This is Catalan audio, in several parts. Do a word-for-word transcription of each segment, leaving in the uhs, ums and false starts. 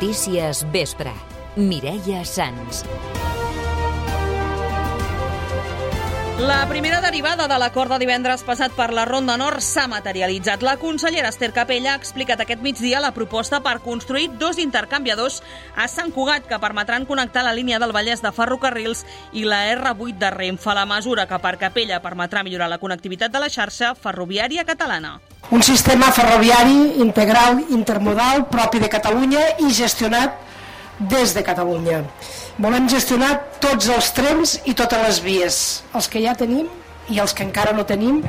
Notícies Vespre. Mireia Sans. La primera derivada de l'acord de divendres passat per la Ronda Nord s'ha materialitzat. La consellera Ester Capella ha explicat aquest migdia la proposta per construir dos intercanviadors a Sant Cugat que permetran connectar la línia del Vallès de ferrocarrils i la erre vuit de Renfe. La mesura que per Capella permetrà millorar la connectivitat de la xarxa ferroviària catalana. Un sistema ferroviari integral, intermodal, propi de Catalunya i gestionat des de Catalunya. Volem gestionar tots els trens i totes les vies, els que ja tenim i els que encara no tenim.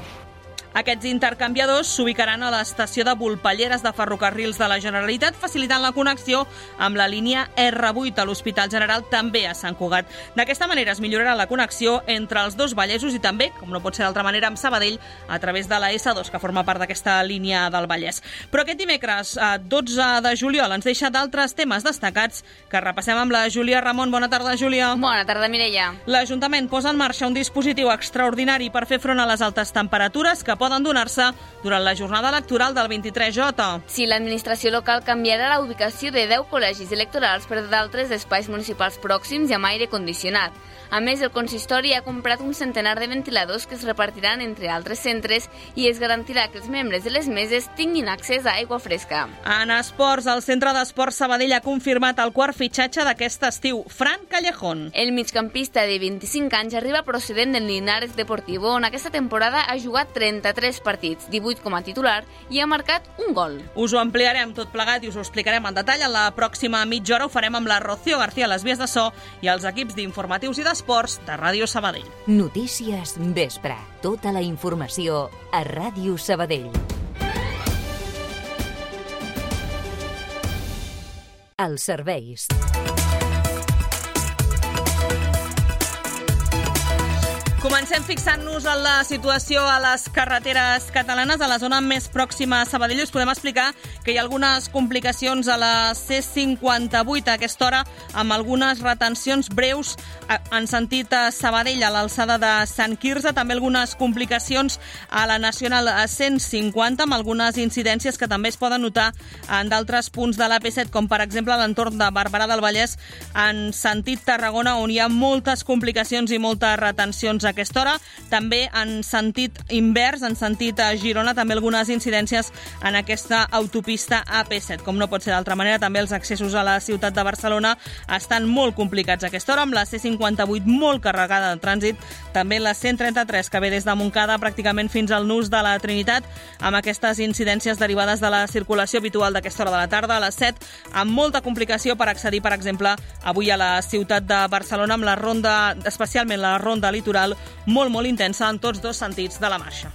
Aquests intercanviadors s'ubicaran a l'estació de Volpelleres de Ferrocarrils de la Generalitat, facilitant la connexió amb la línia erre vuit a l'Hospital General, també a Sant Cugat. D'aquesta manera es millorarà la connexió entre els dos Vallesos i també, com no pot ser d'altra manera, amb Sabadell, a través de la esse dos, que forma part d'aquesta línia del Vallès. Però aquest dimecres, dotze de juliol, ens deixa d'altres temes destacats que repassem amb la Júlia Ramon. Bona tarda, Júlia. Bona tarda, Mireia. L'Ajuntament posa en marxa un dispositiu extraordinari per fer front a les altes temperatures que poden donar-se durant la jornada electoral del vint-i-tres jota. Sí, l'administració local canviarà la ubicació de deu col·legis electorals per d'altres espais municipals pròxims i amb aire condicionat. A més, el consistori ha comprat un centenar de ventiladors que es repartiran entre altres centres i es garantirà que els membres de les meses tinguin accés a aigua fresca. En esports, el Centre d'Esports Sabadell ha confirmat el quart fitxatge d'aquest estiu, Fran Callejón. El migcampista de vint-i-cinc anys arriba procedent del Linares Deportivo, on aquesta temporada ha jugat trenta-tres partits, divuit com a titular, i ha marcat un gol. Us ho ampliarem tot plegat i us ho explicarem en detall. En la pròxima mitja hora ho farem amb la Rocío García a les vies de so i els equips d'informatius i d'esports de Ràdio Sabadell. Notícies Vespre. Tota la informació a Ràdio Sabadell. Els serveis. Comencem fixant-nos en la situació a les carreteres catalanes. A la zona més pròxima a Sabadell us podem explicar que hi ha algunes complicacions a la ce cinquanta-vuit a aquesta hora, amb algunes retencions breus en sentit a Sabadell, a l'alçada de Sant Quirze. També algunes complicacions a la Nacional cent cinquanta, amb algunes incidències que també es poden notar en d'altres punts de l'A P set, com per exemple a l'entorn de Barberà del Vallès, en sentit Tarragona, on hi ha moltes complicacions i moltes retencions a aquesta hora. També en sentit invers, en sentit a Girona, també algunes incidències en aquesta autopista A P set. Com no pot ser d'altra manera, també els accessos a la ciutat de Barcelona estan molt complicats a aquesta hora, amb la ce cinquanta-vuit molt carregada de trànsit, també la cent trenta-tres, que ve des de Montcada pràcticament fins al nus de la Trinitat, amb aquestes incidències derivades de la circulació habitual d'aquesta hora de la tarda, a les set, amb molta complicació per accedir, per exemple, avui a la ciutat de Barcelona, amb la ronda, especialment la ronda litoral, molt, molt intensa en tots dos sentits de la marxa.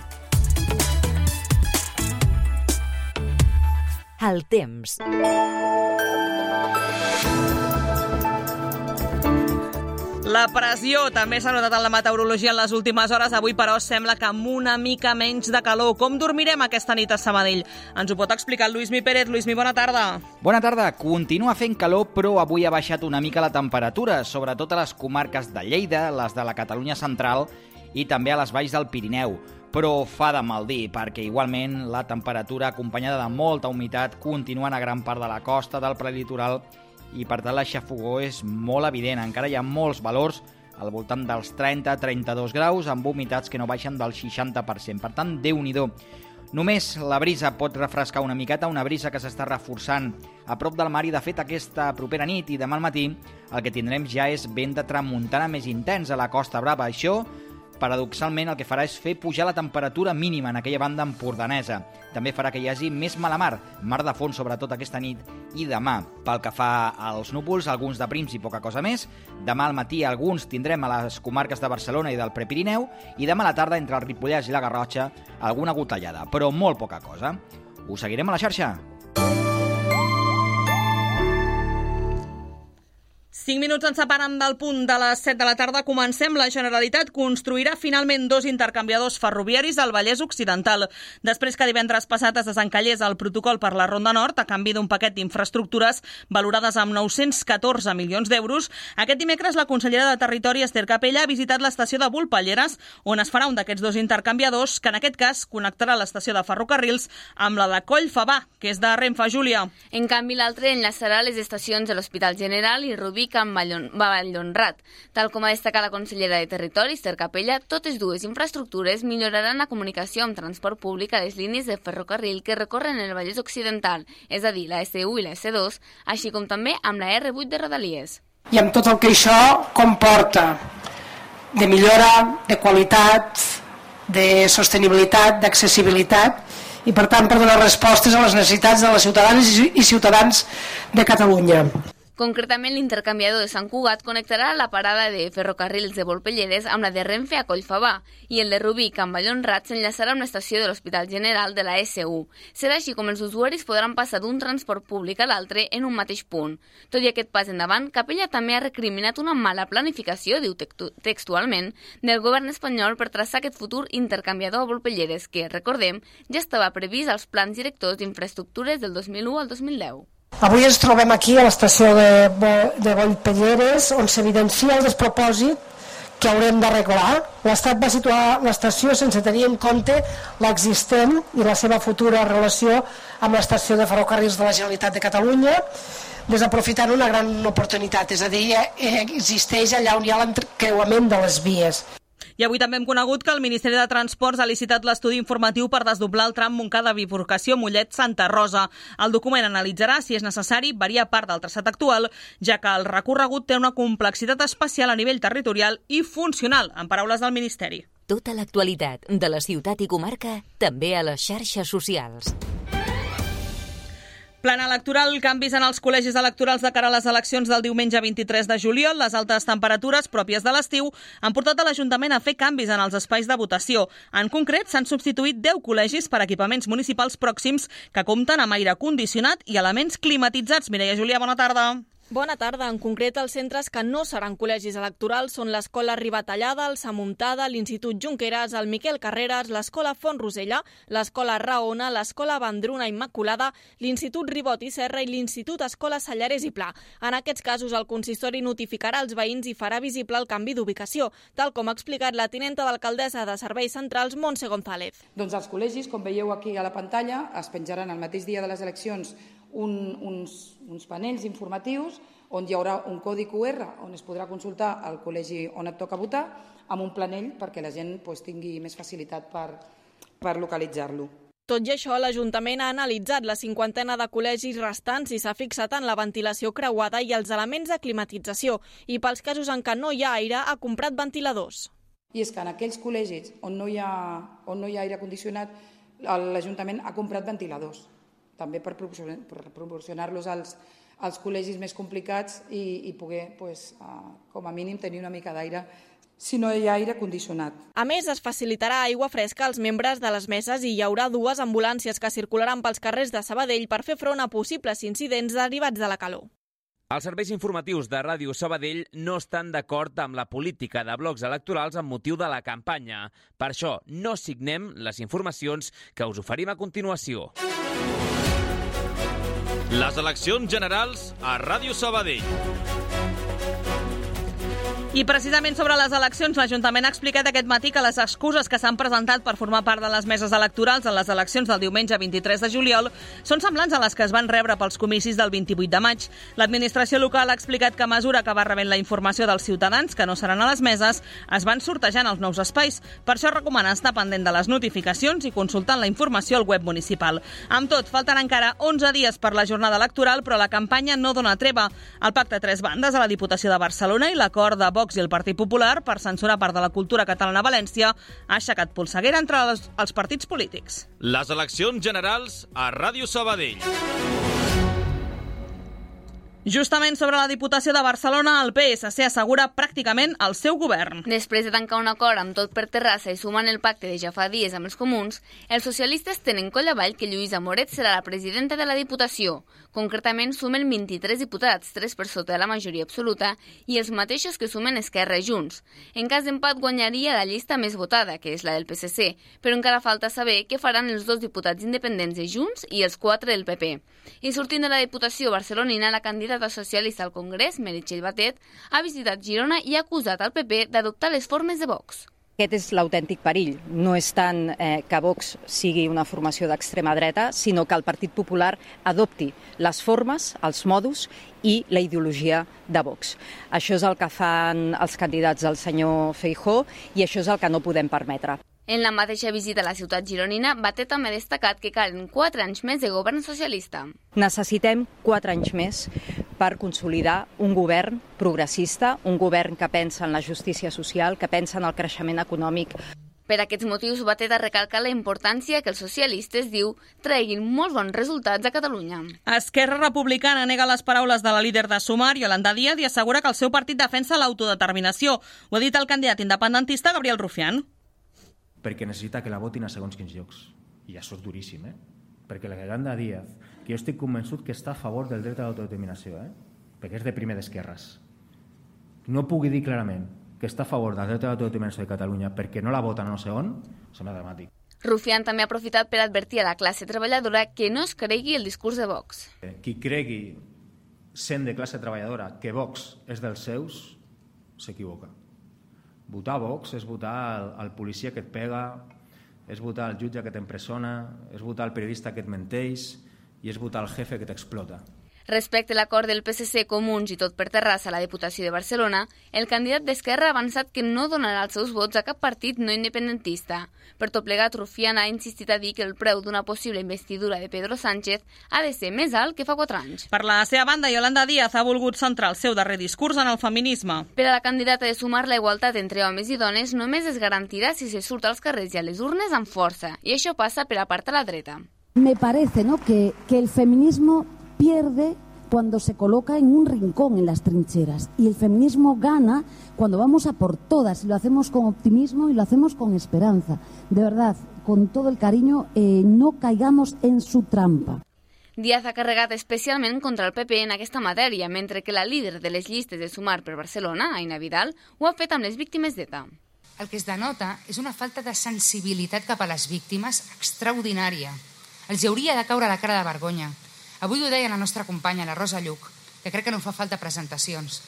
El temps. La pressió també s'ha notat en la meteorologia en les últimes hores. Avui, però, sembla que amb una mica menys de calor. Com dormirem aquesta nit a Sabadell? Ens ho pot explicar el Lluïsmi Pérez. Lluïsmi, bona tarda. Bona tarda. Continua fent calor, però avui ha baixat una mica la temperatura, sobretot a les comarques de Lleida, les de la Catalunya central i també a les valls del Pirineu. Però fa de mal dir, perquè igualment la temperatura, acompanyada de molta humitat, continua a gran part de la costa, del prelitoral, i per tant la xafogor és molt evident. Encara hi ha molts valors al voltant dels trenta a trenta-dos graus, amb humitats que no baixen del seixanta per cent. Per tant, Déu-n'hi-do. Només la brisa pot refrescar una miqueta, una brisa que s'està reforçant a prop del mar, i de fet aquesta propera nit i demà al matí el que tindrem ja és vent de tramuntana més intens a la Costa Brava. Això, paradoxalment, el que farà és fer pujar la temperatura mínima en aquella banda empordanesa. També farà que hi hagi més mala mar, mar de fons sobretot aquesta nit i demà. Pel que fa als núvols, alguns de prims i poca cosa més. Demà al matí alguns tindrem a les comarques de Barcelona i del Prepirineu, i demà a la tarda entre el Ripollès i la Garrotxa alguna gotellada, però molt poca cosa. Us seguirem a la xarxa. Cinc minuts ens separen del punt de les set de la tarda. Comencem. La Generalitat construirà finalment dos intercanviadors ferroviaris al Vallès Occidental. Després que divendres passat es desencallés el protocol per la Ronda Nord a canvi d'un paquet d'infraestructures valorades amb nou-cents catorze milions d'euros, aquest dimecres la consellera de Territori, Esther Capella, ha visitat l'estació de Volpelleres, on es farà un d'aquests dos intercanviadors, que en aquest cas connectarà l'estació de ferrocarrils amb la de Collfabà, que és de Renfe. Júlia. En canvi, l'altre enllaçarà les estacions de l'Hospital General i Rubí amb Vallhonrat. Tal com ha destacat la consellera de Territori, Esther Capella, totes dues infraestructures milloraran la comunicació amb transport públic a les línies de ferrocarril que recorren el Vallès Occidental, és a dir, la esse u i la esse dos, així com també amb la erre vuit de Rodalies. I amb tot el que això comporta de millora, de qualitat, de sostenibilitat, d'accessibilitat, i per tant per donar respostes a les necessitats de les ciutadanes i ciutadans de Catalunya. Concretament, l'intercanviador de Sant Cugat connectarà la parada de ferrocarrils de Volpelleres amb la de Renfe a Collfabà i el de Rubí amb Vallhonrat s'enllaçarà amb l'estació de l'Hospital General de la esse u. Serà així com els usuaris podran passar d'un transport públic a l'altre en un mateix punt. Tot i aquest pas endavant, Capella també ha recriminat una mala planificació, diu textualment, del govern espanyol per traçar aquest futur intercanviador a Volpelleres, que, recordem, ja estava previst als plans directors d'infraestructures del dos mil u al dos mil deu. Avui ens trobem aquí a l'estació de, de Volpelleres, on s'evidencia el despropòsit que haurem d'arreglar. L'Estat va situar l'estació sense tenir en compte l'existent i la seva futura relació amb l'estació de ferrocarrils de la Generalitat de Catalunya, desaprofitant una gran oportunitat, és a dir, existeix allà on hi ha l'encreuament de les vies. I avui també hem conegut que el Ministeri de Transports ha licitat l'estudi informatiu per desdoblar el tram Montcada-Bifurcació Mollet-Santa Rosa. El document analitzarà si és necessari variar part del traçat actual, ja que el recorregut té una complexitat especial a nivell territorial i funcional, en paraules del Ministeri. Tota l'actualitat de la ciutat i comarca, també a les xarxes socials. Plan electoral, canvis en els col·legis electorals de cara a les eleccions del diumenge vint-i-tres de juliol. Les altes temperatures pròpies de l'estiu han portat a l'Ajuntament a fer canvis en els espais de votació. En concret, s'han substituït deu col·legis per equipaments municipals pròxims que compten amb aire condicionat i elements climatitzats. Mireia Julià, bona tarda. Bona tarda. En concret, els centres que no seran col·legis electorals són l'Escola Ribatallada, el Samuntada, l'Institut Junqueras, el Miquel Carreras, l'Escola Font Rosella, l'Escola Raona, l'Escola Vendruna Immaculada, l'Institut Ribot i Serra i l'Institut Escola Sallarès i Pla. En aquests casos, el consistori notificarà als veïns i farà visible el canvi d'ubicació, tal com ha explicat la tinenta d'alcaldessa de Serveis Centrals, Montse González. Doncs els col·legis, com veieu aquí a la pantalla, es penjaran el mateix dia de les eleccions Un, uns, uns panells informatius on hi haurà un codi cu erre on es podrà consultar el col·legi on et toca votar amb un planell perquè la gent pues, tingui més facilitat per, per localitzar-lo. Tot i això, l'Ajuntament ha analitzat la cinquantena de col·legis restants i s'ha fixat en la ventilació creuada i els elements de climatització i pels casos en què no hi ha aire ha comprat ventiladors. I és que en aquells col·legis on no hi ha, on no hi ha aire condicionat l'Ajuntament ha comprat ventiladors, també per proporcionar-los als, als col·legis més complicats i, i poder, pues, uh, com a mínim, tenir una mica d'aire si no hi ha aire condicionat. A més, es facilitarà aigua fresca als membres de les meses i hi haurà dues ambulàncies que circularan pels carrers de Sabadell per fer front a possibles incidents derivats de la calor. Els serveis informatius de Ràdio Sabadell no estan d'acord amb la política de blocs electorals amb motiu de la campanya. Per això, no signem les informacions que us oferim a continuació. Les eleccions generals a Ràdio Sabadell. I precisament sobre les eleccions, l'Ajuntament ha explicat aquest matí que les excuses que s'han presentat per formar part de les meses electorals en les eleccions del diumenge vint-i-tres de juliol són semblants a les que es van rebre pels comicis del vint-i-vuit de maig. L'administració local ha explicat que a mesura que va rebent la informació dels ciutadans que no seran a les meses, es van sortejant els nous espais. Per això recomana estar pendent de les notificacions i consultant la informació al web municipal. Amb tot, falten encara onze dies per la jornada electoral, però la campanya no dona treva. El pacte a tres bandes a la Diputació de Barcelona i l'acord de Vox i el Partit Popular per censurar part de la cultura catalana a València ha aixecat polseguera entre els, els partits polítics. Les eleccions generals a Ràdio Sabadell. Justament sobre la Diputació de Barcelona, el P S C assegura pràcticament el seu govern. Després de tancar un acord amb tot per Terrassa i sumant el pacte de ja fa dies amb els comuns, els socialistes tenen coll avall que Lluïsa Moret serà la presidenta de la Diputació. Concretament, sumen vint-i-tres diputats, tres per sota de la majoria absoluta, i els mateixos que sumen Esquerra i Junts. En cas d'empat guanyaria la llista més votada, que és la del P S C, però encara falta saber què faran els dos diputats independents de Junts i els quatre del P P. I sortint de la Diputació barcelonina, la candidata socialista al Congrés, Meritxell Batet, ha visitat Girona i ha acusat al P P d'adoptar les formes de Vox. Aquest és l'autèntic perill. No és tant eh, que Vox sigui una formació d'extrema dreta, sinó que el Partit Popular adopti les formes, els modus i la ideologia de Vox. Això és el que fan els candidats del senyor Feijóo i això és el que no podem permetre. En la mateixa visita a la ciutat gironina, Batet també ha destacat que calen quatre anys més de govern socialista. Necessitem quatre anys més per consolidar un govern progressista, un govern que pensa en la justícia social, que pensa en el creixement econòmic. Per aquests motius, Batet ha recalcat la importància que els socialistes, diu, treguin molts bons resultats a Catalunya. Esquerra Republicana nega les paraules de la líder de Sumar, Yolanda Díaz, i assegura que el seu partit defensa l'autodeterminació. Ho ha dit el candidat independentista Gabriel Rufián. Perquè necessita que la votin a segons quins llocs. I això és duríssim, eh? Perquè la Yolanda Díaz, que jo estic convençut que està a favor del dret a l'autodeterminació, eh? Perquè és de primer d'esquerres. No pugui dir clarament que està a favor del dret a l'autodeterminació de Catalunya perquè no la voten no sé on, sembla dramàtic. Rufián també ha aprofitat per advertir a la classe treballadora que no es cregui el discurs de Vox. Qui cregui, sent de classe treballadora, que Vox és dels seus, s'equivoca. Votar Vox és votar el, el policia que et pega, és votar el jutge que t'empresona, és votar el periodista que et menteix i és votar el jefe que t'explota. Respecte a l'acord del P S C, Comuns i tot per Terrassa a la Diputació de Barcelona, el candidat d'Esquerra ha avançat que no donarà els seus vots a cap partit no independentista. Per tot plegat, Rufián ha insistit a dir que el preu d'una possible investidura de Pedro Sánchez ha de ser més alt que fa quatre anys. Per la seva banda, Yolanda Díaz ha volgut centrar el seu darrer discurs en el feminisme. Per a la candidata de Sumar, la igualtat entre homes i dones només es garantirà si se surt als carrers i a les urnes amb força, i això passa per apartar la dreta. Me parece, ¿no?, que, que el feminismo pierde cuando se coloca en un rincón en las trincheras y el feminismo gana cuando vamos a por todas y lo hacemos con optimismo y lo hacemos con esperanza. De verdad, con todo el cariño, eh, no caigamos en su trampa. Díaz ha carregat especialment contra el P P en aquesta matèria, mentre que la líder de les llistes de Sumar per Barcelona, Aina Vidal, ho ha fet amb les víctimes d'ETA. El que es denota és una falta de sensibilitat cap a les víctimes extraordinària. Els hauria de caure la cara de vergonya. Avui ho deia la nostra companya, la Rosa Lluc, que crec que no fa falta presentacions,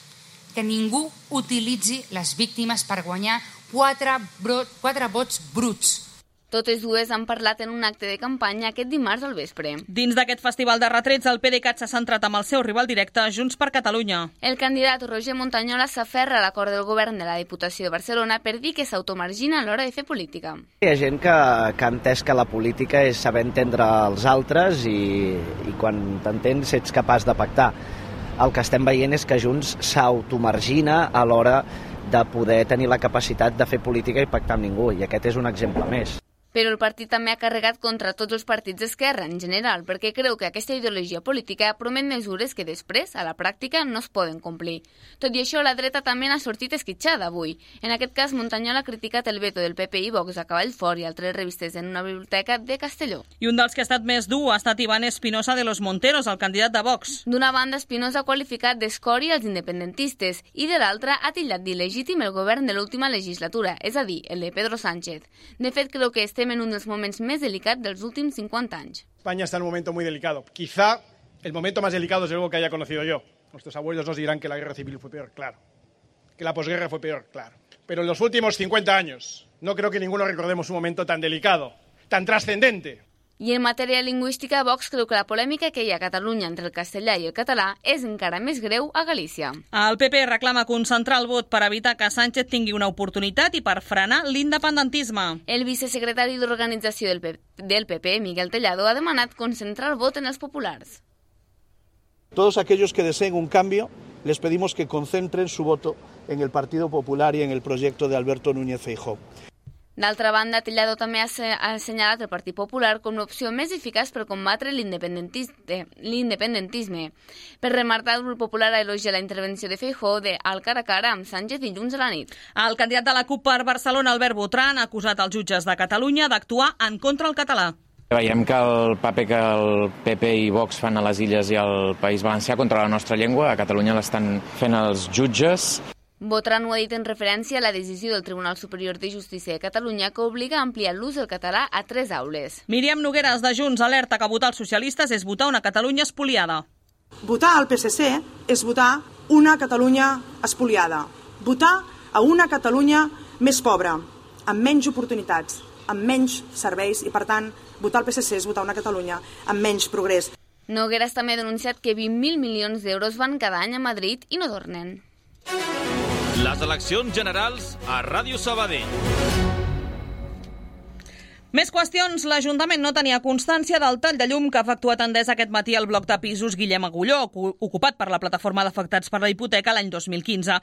que ningú utilitzi les víctimes per guanyar quatre, bro, quatre vots bruts. Totes dues han parlat en un acte de campanya aquest dimarts al vespre. Dins d'aquest festival de retrets, el PDeCAT s'ha centrat amb el seu rival directe, Junts per Catalunya. El candidat Roger Montañola s'aferra a l'acord del govern de la Diputació de Barcelona per dir que s'automargina a l'hora de fer política. Hi ha gent que, que ha entès que la política és saber entendre els altres i, i quan t'entens ets capaç de pactar. El que estem veient és que Junts s'automargina a l'hora de poder tenir la capacitat de fer política i pactar amb ningú, i aquest és un exemple més. Però el partit també ha carregat contra tots els partits d'esquerra en general, perquè creu que aquesta ideologia política promet mesures que després, a la pràctica, no es poden complir. Tot i això, la dreta també n'ha sortit esquitxada avui. En aquest cas, Montañola ha criticat el veto del P P i Vox a Cavallfort i altres revistes en una biblioteca de Castelló. I un dels que ha estat més dur ha estat Iván Espinosa de los Monteros, el candidat de Vox. D'una banda, Espinosa ha qualificat d'escòria els independentistes i de l'altra ha titllat d'il·legítim el govern de l'última legislatura, és a dir, el de Pedro Sánchez. De fet, creu que estem en un dels moments més delicats dels últims cincuenta anys. España está en un momento muy delicado. Quizá el momento más delicado es algo que haya conocido yo. Nuestros abuelos nos dirán que la guerra civil fue peor, claro. Que la posguerra fue peor, claro. Pero en los últimos cincuenta años no creo que ninguno recordemos un momento tan delicado, tan trascendente. I en matèria lingüística, Vox creu que la polèmica que hi ha a Catalunya entre el castellà i el català és encara més greu a Galícia. El P P reclama concentrar el vot per evitar que Sánchez tingui una oportunitat i per frenar l'independentisme. El vicesecretari d'Organització del, del P P, Miguel Tellado, ha demanat concentrar el vot en els populars. Todos aquellos que deseen un cambio, les pedimos que concentren su voto en el Partido Popular y en el proyecto de Alberto Núñez Feijóo. D'altra banda, Tellado també ha assenyalat el Partit Popular com l'opció més eficaç per combatre l'independentisme. Per remarcar, el grup popular ha elogiat la intervenció de Feijóo de al cara a cara amb Sánchez dilluns a la nit. El candidat de la CUP per Barcelona, Albert Botran, ha acusat els jutges de Catalunya d'actuar en contra del català. Veiem que el paper que el P P i Vox fan a les Illes i al País Valencià contra la nostra llengua, a Catalunya l'estan fent els jutges. Botran ho ha dit en referència a la decisió del Tribunal Superior de Justícia de Catalunya que obliga a ampliar l'ús del català a tres aules. Míriam Nogueras, de Junts, alerta que votar els socialistes és votar una Catalunya espoliada. Votar al P S C és votar una Catalunya espoliada. Votar a una Catalunya més pobra, amb menys oportunitats, amb menys serveis i, per tant, votar al P S C és votar una Catalunya amb menys progrés. Nogueras també ha denunciat que vint mil milions d'euros van cada any a Madrid i no tornen. Les eleccions generals a Ràdio Sabadell. Més qüestions. L'Ajuntament no tenia constància del tall de llum que ha efectuat Endesa aquest matí al bloc de pisos Guillem Agulló, ocupat per la plataforma d'afectats per la hipoteca l'any dos mil quinze.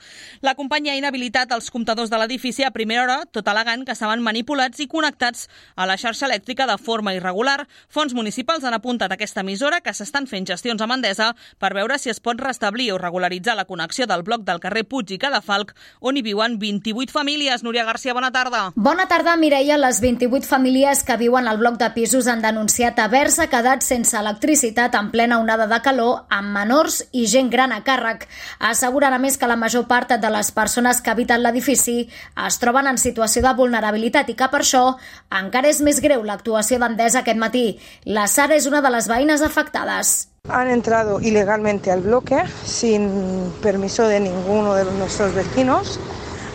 La companyia ha inhabilitat els comptadors de l'edifici a primera hora, tot al·legant que estaven manipulats i connectats a la xarxa elèctrica de forma irregular. Fons municipals han apuntat a aquesta emissora que s'estan fent gestions amb Endesa per veure si es pot restablir o regularitzar la connexió del bloc del carrer Puig i Cadafalc, on hi viuen vint-i-vuit famílies. Núria Garcia, bona tarda. Bona tarda, Mireia. Les vint-i-vuit famílies que viuen al bloc de pisos han denunciat haver-se quedat sense electricitat en plena onada de calor amb menors i gent gran a càrrec. Asseguren a més que la major part de les persones que habiten l'edifici es troben en situació de vulnerabilitat i que per això encara és més greu l'actuació d'Endesa aquest matí. La Sara és una de les veïnes afectades. Han entrado ilegalmente al bloque sin permiso de ninguno de nuestros vecinos.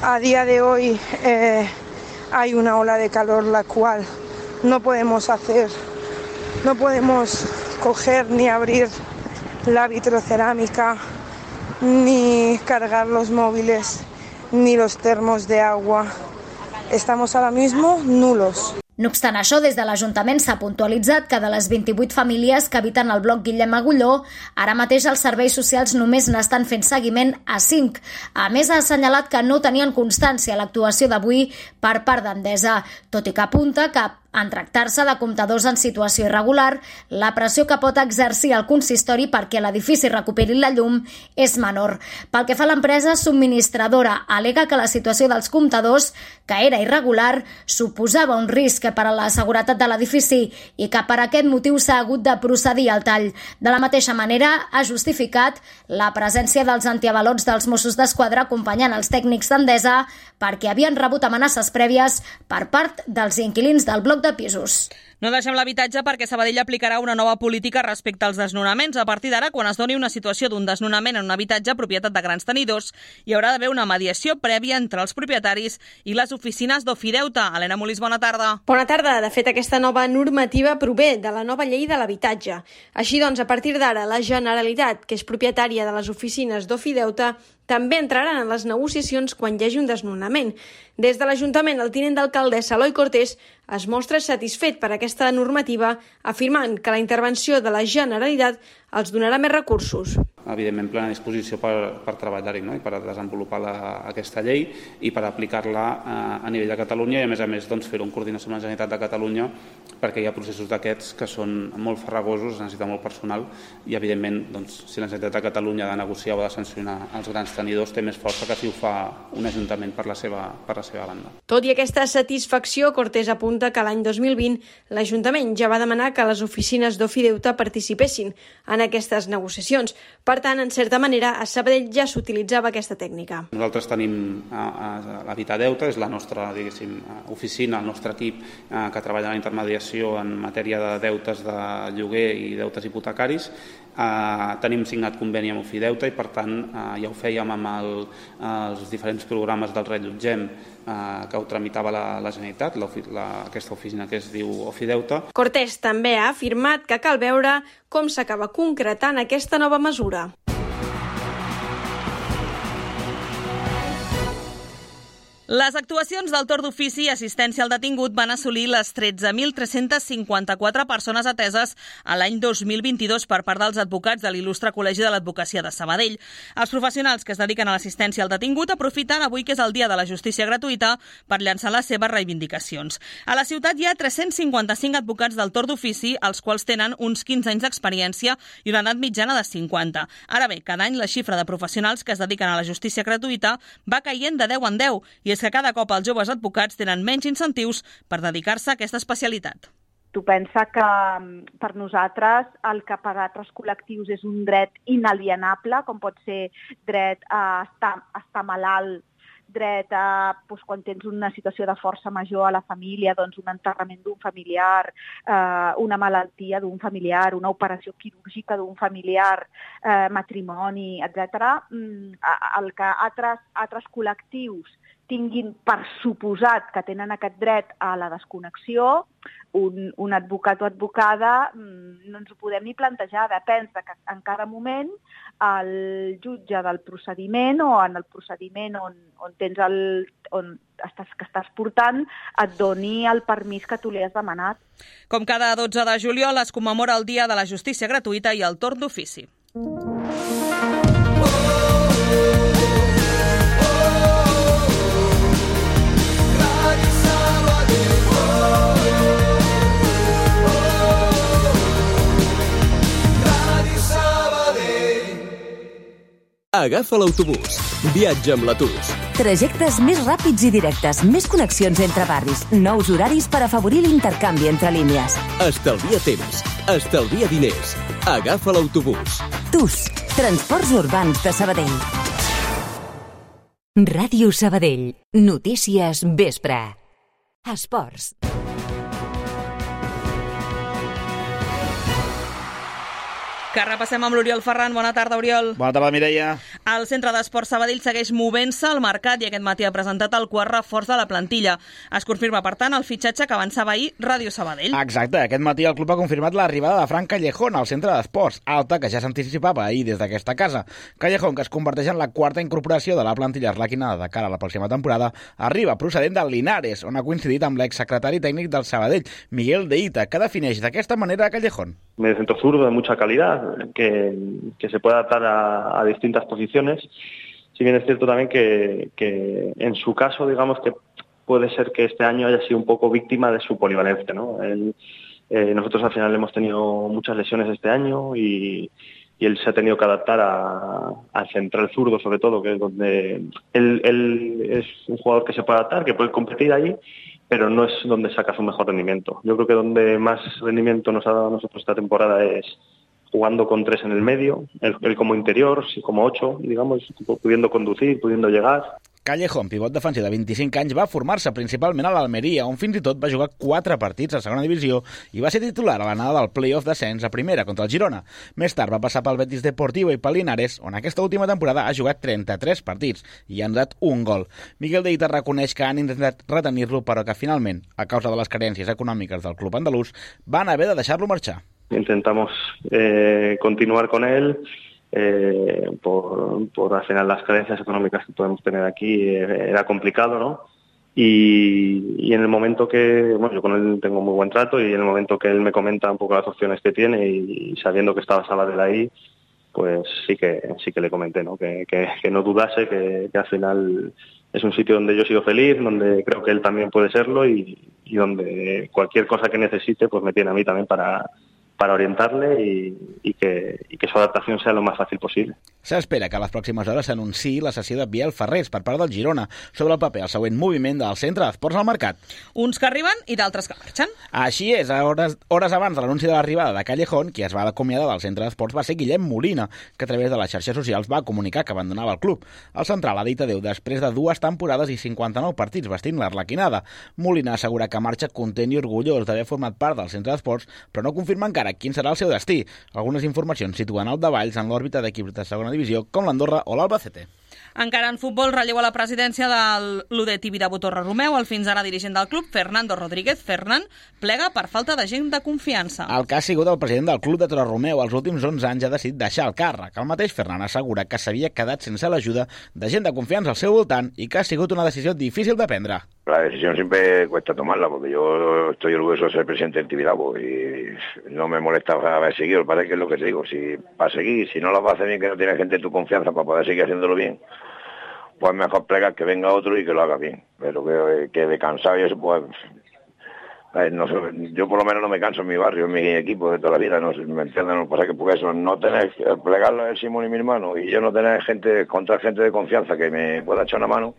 A día de hoy eh, hay una ola de calor la cual no podemos hacer, no podemos coger ni abrir la vitrocerámica, ni cargar los móviles, ni los termos de agua. Estamos ahora mismo nulos. No obstant això, des de l'Ajuntament s'ha puntualitzat que de les vint-i-vuit famílies que habiten al bloc Guillem Agulló, ara mateix els serveis socials només n'estan fent seguiment a cinc. A més, ha assenyalat que no tenien constància a l'actuació d'avui per part d'Endesa, tot i que apunta que en tractar-se de comptadors en situació irregular, la pressió que pot exercir el consistori perquè l'edifici recuperi la llum és menor. Pel que fa a l'empresa subministradora, al·lega que la situació dels comptadors, que era irregular, suposava un risc per a la seguretat de l'edifici i que per aquest motiu s'ha hagut de procedir al tall. De la mateixa manera, ha justificat la presència dels antiavalots dels Mossos d'Esquadra acompanyant els tècnics d'Endesa perquè havien rebut amenaces prèvies per part dels inquilins del bloc de pisos. No deixem l'habitatge perquè Sabadell aplicarà una nova política respecte als desnonaments. A partir d'ara, quan es doni una situació d'un desnonament en un habitatge propietat de grans tenidors, hi haurà d'haver una mediació prèvia entre els propietaris i les oficines d'Ofideute. Helena Molís, bona tarda. Bona tarda. De fet, aquesta nova normativa prové de la nova llei de l'habitatge. Així doncs, a partir d'ara, la Generalitat, que és propietària de les oficines d'Ofideute, també entraran en les negociacions quan hi hagi un desnonament. Des de l'Ajuntament, el tinent d'alcaldessa Eloi Cortés es mostra satisfet per aquesta normativa, afirmant que la intervenció de la Generalitat els donarà més recursos. Evidentment, plena disposició per, per treballar-hi, no? I per desenvolupar la, aquesta llei i per aplicar-la a, a nivell de Catalunya i, a més a més, doncs, fer-ho en coordinació amb la Generalitat de Catalunya perquè hi ha processos d'aquests que són molt farragosos, es necessita molt personal i, evidentment, doncs, si la Generalitat de Catalunya ha de negociar o ha de sancionar els grans tenidors, té més força que si ho fa un ajuntament per la seva, per la seva banda. Tot i aquesta satisfacció, Cortés apunta que l'any dos mil vint l'Ajuntament ja va demanar que les oficines d'Ofideute participessin en aquestes negociacions. Per tant, en certa manera, a Sabadell ja s'utilitzava aquesta tècnica. Nosaltres tenim l'Habitadeute, és la nostra, diguéssim, oficina, el nostre equip que treballa en la intermediació en matèria de deutes de lloguer i deutes hipotecaris. Uh, tenim signat conveni amb Ofideute i, per tant, uh, ja ho fèiem amb el, els diferents programes del Rellotgem uh, que ho tramitava la, la Generalitat, la, la, aquesta oficina que es diu Ofideute. Cortés també ha afirmat que cal veure com s'acaba concretant aquesta nova mesura. Les actuacions del torn d'ofici i assistència al detingut van assolir les tretze mil tres-cents cinquanta-quatre persones ateses a l'any dos mil vint-i-dos per part dels advocats de l'il·lustre Col·legi de l'Advocacia de Sabadell. Els professionals que es dediquen a l'assistència al detingut aprofiten avui que és el dia de la justícia gratuïta per llançar les seves reivindicacions. A la ciutat hi ha tres-cents cinquanta-cinc advocats del torn d'ofici, els quals tenen uns quinze anys d'experiència i una edat mitjana de cinquanta. Ara bé, cada any la xifra de professionals que es dediquen a la justícia gratuïta va caient de deu en deu i és que cada cop els joves advocats tenen menys incentius per dedicar-se a aquesta especialitat. Tu pensa que per nosaltres el que per altres col·lectius és un dret inalienable, com pot ser dret a estar, a estar malalt, dret a, doncs, quan tens una situació de força major a la família, doncs un enterrament d'un familiar, eh, una malaltia d'un familiar, una operació quirúrgica d'un familiar, eh, matrimoni, etcètera. El que altres, altres col·lectius tinguin per suposat que tenen aquest dret a la desconnexió, un, un advocat o advocada no ens ho podem ni plantejar. Depèn de que en cada moment el jutge del procediment o en el procediment on, on tens el, on estàs, que estàs portant et doni el permís que tu li has demanat. Com cada dotze de juliol es commemora el Dia de la Justícia Gratuïta i el torn d'ofici. Agafa l'autobús. Viatja amb l'Atus. Trajectes més ràpids i directes, més connexions entre barris, nous horaris per afavorir l'intercanvi entre línies. Estalvia temps, estalvia diners. Agafa l'autobús. Tus, Transports Urbans de Sabadell. Ràdio Sabadell. Notícies vespre. Esports. Que repassem amb l'Oriol Ferran. Bona tarda, Oriol. Bona tarda, Mireia. El Centre d'Esports Sabadell segueix movent-se al mercat i aquest matí ha presentat el quart reforç de la plantilla. Es confirma, per tant, el fitxatge que avançava ahir Ràdio Sabadell. Exacte. Aquest matí el club ha confirmat l'arribada de Fran Callejón al Centre d'Esports, alta que ja s'anticipava ahir des d'aquesta casa. Callejón, que es converteix en la quarta incorporació de la plantilla arlequinada de cara a la pròxima temporada, arriba procedent del Linares, on ha coincidit amb l'exsecretari tècnic del Sabadell, Miguel de Ita, que defineix d'aquesta manera a Callejón. Medio centro zurdo de mucha calidad, que, que se puede adaptar a, a distintas posiciones. Si bien es cierto también que, que en su caso, digamos que puede ser que este año haya sido un poco víctima de su polivalencia, ¿no? Él, eh, nosotros al final hemos tenido muchas lesiones este año y, y él se ha tenido que adaptar a, al central zurdo, sobre todo, que es donde él, él es un jugador que se puede adaptar, que puede competir ahí, pero no es donde saca su mejor rendimiento. Yo creo que donde más rendimiento nos ha dado a nosotros esta temporada es jugando con tres en el medio, él, él como interior, como ocho, digamos, pudiendo conducir, pudiendo llegar. Callejón, pivot defensiu de vint-i-cinc anys, va formar-se principalment a l'Almeria, on fins i tot va jugar quatre partits a segona divisió i va ser titular a l'anada del play-off d'ascens a primera contra el Girona. Més tard va passar pel Betis Deportivo i pel Linares, on aquesta última temporada ha jugat trenta-tres partits i ha dat un gol. Miguel de Ita reconeix que han intentat retenir-lo, però que finalment, a causa de les carències econòmiques del club andalús, van haver de deixar-lo marxar. Intentamos eh, continuar con él. Eh, por, por al final las carencias económicas que podemos tener aquí eh, era complicado, ¿no? Y, y en el momento que, bueno, yo con él tengo muy buen trato y en el momento que él me comenta un poco las opciones que tiene y, y sabiendo que estaba Sabadell ahí, pues sí que sí que le comenté, ¿no? Que, que, que no dudase, que, que al final es un sitio donde yo he sido feliz, donde creo que él también puede serlo y, y donde cualquier cosa que necesite, pues me tiene a mí también para para orientarle y, y, que, y que su adaptación sea lo más fácil posible. S'espera que a les pròximes hores s'anunciï la cessió de Biel Ferrés per part del Girona sobre el paper el següent moviment del Centre d'Esports al mercat. Uns que arriben i d'altres que marxen. Així és, a hores, hores abans de l'anunci de l'arribada de Callejón, qui es va acomiadar del Centre d'Esports va ser Guillem Molina, que a través de les xarxes socials va comunicar que abandonava el club. El central ha dit adéu després de dues temporades i cinquanta-nou partits vestint l'Arlequinada. Molina assegura que marxa content i orgullós d'haver format part del Centre d'Esports, però no confirma encara quin serà el seu destí. Algunes informacions situen el Davalls en l'òrbita d'equips de segona divisió com l'Andorra o l'Albacete. Encara en futbol, relleu a la presidència de l'U D Tibidabo Torre Romeu, el fins ara dirigent del club, Fernando Rodríguez. Fernán plega per falta de gent de confiança. El que ha sigut el president del club de Torre Romeu els últims onze anys ha decidit deixar el càrrec. El mateix Fernán assegura que s'havia quedat sense l'ajuda de gent de confiança al seu voltant i que ha sigut una decisió difícil de prendre. La decisión siempre cuesta tomarla, porque yo estoy orgulloso de ser presidente del Tibidabo y no me molesta haber seguido, parece que es lo que te digo, si para seguir, si no lo vas a hacer bien, que no tienes gente de tu confianza para poder seguir haciéndolo bien, pues mejor plegar que venga otro y que lo haga bien, pero que, que de cansado y eso, pues, no sé, yo por lo menos no me canso en mi barrio, en mi equipo de toda la vida, no sé, me entienden, no pasa que porque eso, no tener, plegarlo el Simón y mi hermano, y yo no tener gente, contra gente de confianza que me pueda echar una mano,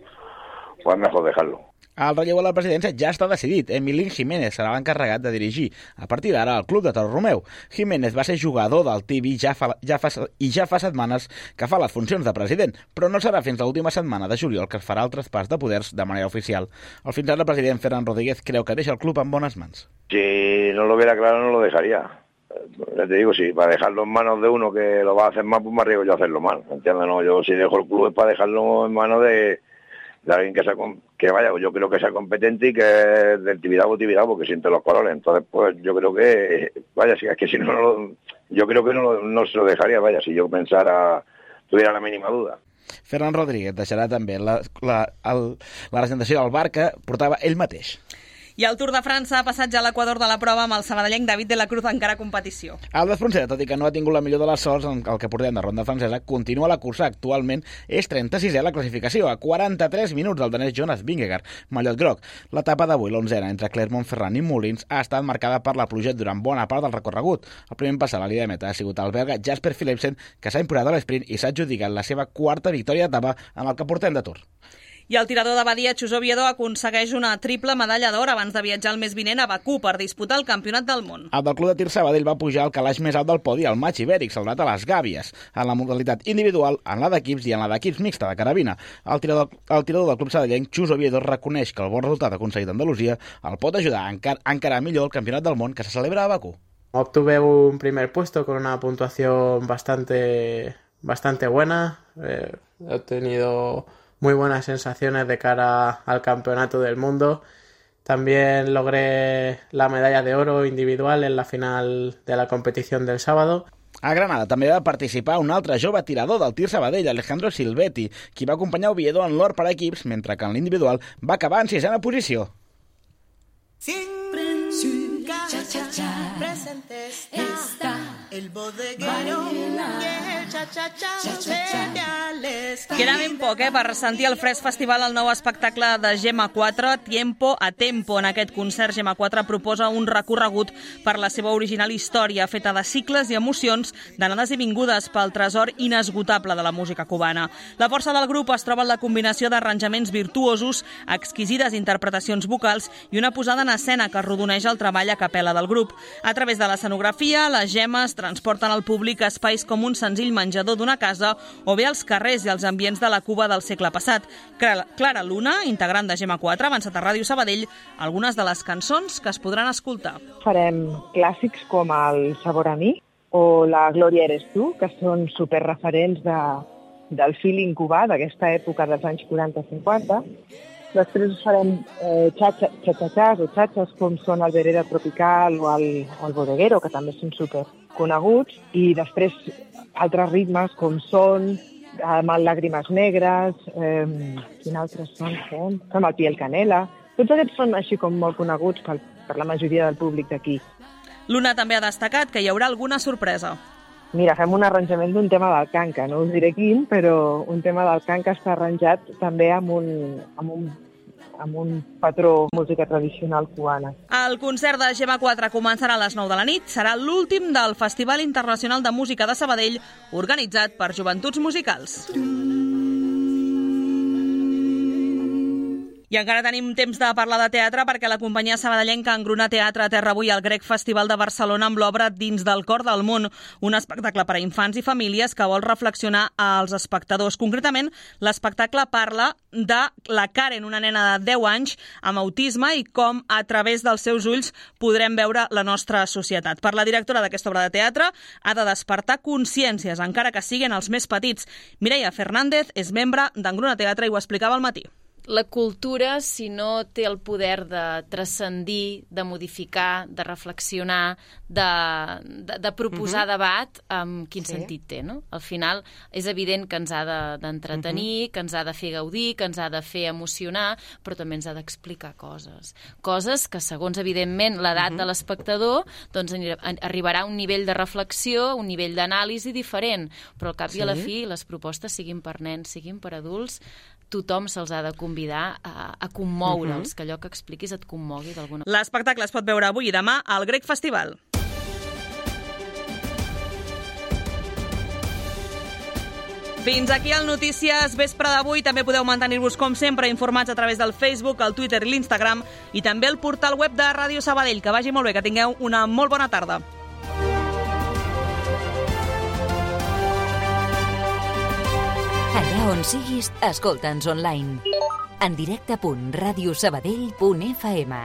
pues mejor dejarlo. El relleu a la presidència ja està decidit. Emilín Jiménez serà l'encarregat de dirigir a partir d'ara el club de Torre Romeu. Jiménez va ser jugador del Tibi ja fa, ja fa, i ja fa setmanes que fa les funcions de president, però no serà fins l'última setmana de juliol que es farà el traspàs de poders de manera oficial. El fins ara president Ferran Rodríguez creu que deixa el club en bones mans. Si no lo hubiera claro, no lo dejaría. Ya te digo, si para dejarlo en manos de uno que lo va a hacer mal, pues me arriesgo yo a hacerlo mal. ¿Entiendes? No, yo si dejo el club es para dejarlo en manos de... de alguien que sea, que vaya, yo creo que sea competente y que es del Tibidabo, Tibidabo, que siente los colores. Entonces, pues yo creo que, vaya, si es que si no, no yo creo que no, no se lo dejaría, vaya, si yo pensara, tuviera la mínima duda. Ferran Rodríguez deixarà també la, la, el, la presentació del bar que portava ell mateix. I el Tour de França ha passat ja a l'equador de la prova amb el sabadellenc David de la Cruz encara a competició. El d'Espronceda, tot i que no ha tingut la millor de les sorts en el que portem de ronda francesa, continua la cursa. Actualment és trenta-sisè a la classificació, a quaranta-tres minuts del danès Jonas Vingegaard, mallot groc. L'etapa d'avui, l'onzena, entre Clermont-Ferrand i Molins, ha estat marcada per la pluja durant bona part del recorregut. El primer en passar a la línia de meta ha sigut el belga Jasper Philipsen, que s'ha imposat a l'esprint i s'ha adjudicat la seva quarta victòria d'etapa en el que portem de Tour. I el tirador de Badia, Chus Oviedo, aconsegueix una triple medalla d'or abans de viatjar el mes vinent a Bakú per disputar el Campionat del Món. El del Club de Tir Sabadell va pujar al calaix més alt del podi, el matx ibèric, celebrat a les Gàbies, en la modalitat individual, en la d'equips i en la d'equips mixta de carabina. El tirador, el tirador del Club Sabadellenc, Chus Oviedo, reconeix que el bon resultat aconseguit a Andalusia el pot ajudar a encar encarar millor el Campionat del Món que se celebra a Bakú. Obtuve un primer puesto con una puntuación bastante, bastante buena. Eh, he obtenido muy buenas sensaciones de cara al Campeonato del Mundo. También logré la medalla de oro individual en la final de la competición del sábado. A Granada també va participar un altre jove tirador del Tir Sabadell, Alejandro Silvetti, qui va acompanyar Oviedo en l'or per a equips, mentre que en l'individual va acabar en sisena posició. Siempre en su casa presentes está el bodeguero y el cha-cha-cha cereales. Queda ben poc, eh, per sentir el Fresc Festival, el nou espectacle de Gemma quatre, Tiempo a Tempo. En aquest concert, Gemma quatre proposa un recorregut per la seva original història, feta de cicles i emocions, d'anades i vingudes pel tresor inesgotable de la música cubana. La força del grup es troba en la combinació d'arranjaments virtuosos, exquisides interpretacions vocals i una posada en escena que arrodoneix el treball a capella del grup. A través de l'escenografia, les gemmes transporten al públic a espais com un senzill menjador d'una casa o bé als carrers i als ambients de la Cuba del segle passat. Clara Luna, integrant de Gemma quatre, ha avançat a Ràdio Sabadell algunes de les cançons que es podran escoltar. Farem clàssics com el Sabor a mi o la Glòria eres tu, que són superreferents de, del feeling cubà d'aquesta època dels anys quaranta cinquanta. Després farem eh, xa-xa-xàs o xatxes com són el Vereda Tropical o el, o el Bodeguero, que també són superconeguts, i després altres ritmes com són amb el Làgrimes Negres, eh, quin altres són? Fem, fem el Piel Canela. Tots aquests són així com molt coneguts per, per la majoria del públic d'aquí. Luna també ha destacat que hi haurà alguna sorpresa. Mira, fem un arranjament d'un tema del canca, no us diré quin, però un tema del canca està arranjat també amb un, amb un, amb un patró música tradicional cubana. El concert de Gemma quatre començarà a les nou de la nit. Serà l'últim del Festival Internacional de Música de Sabadell, organitzat per Joventuts Musicals. I encara tenim temps de parlar de teatre perquè la companyia sabadellenca engruna Teatre a Terra avui al Grec Festival de Barcelona amb l'obra Dins del cor del món, un espectacle per a infants i famílies que vol reflexionar als espectadors. Concretament, l'espectacle parla de la Karen, una nena de deu anys amb autisme i com a través dels seus ulls podrem veure la nostra societat. Per la directora d'aquesta obra de teatre ha de despertar consciències, encara que siguin els més petits. Mireia Fernández és membre d'Engruna Teatre i ho explicava al matí. La cultura, si no té el poder de transcendir, de modificar, de reflexionar, de, de, de proposar uh-huh. debat, um, quin sí. sentit té, no? Al final és evident que ens ha d'entretenir, de, uh-huh. que ens ha de fer gaudir, que ens ha de fer emocionar, però també ens ha d'explicar coses. Coses que, segons, evidentment, l'edat uh-huh. de l'espectador, doncs arribarà a un nivell de reflexió, un nivell d'anàlisi diferent, però al cap sí. i a la fi les propostes, siguin per nens, siguin per adults, tothom se'ls ha de convidar a, a commoure'ls, uh-huh. que allò que expliquis et commogui d'alguna manera. L'espectacle es pot veure avui i demà al Grec Festival. Fins aquí el Notícies Vespre d'avui. També podeu mantenir-vos, com sempre, informats a través del Facebook, el Twitter i l'Instagram i també el portal web de Ràdio Sabadell. Que vagi molt bé, que tingueu una molt bona tarda. Allà on siguis, escolta'ns online. En directe punt radiosabadell punt f m.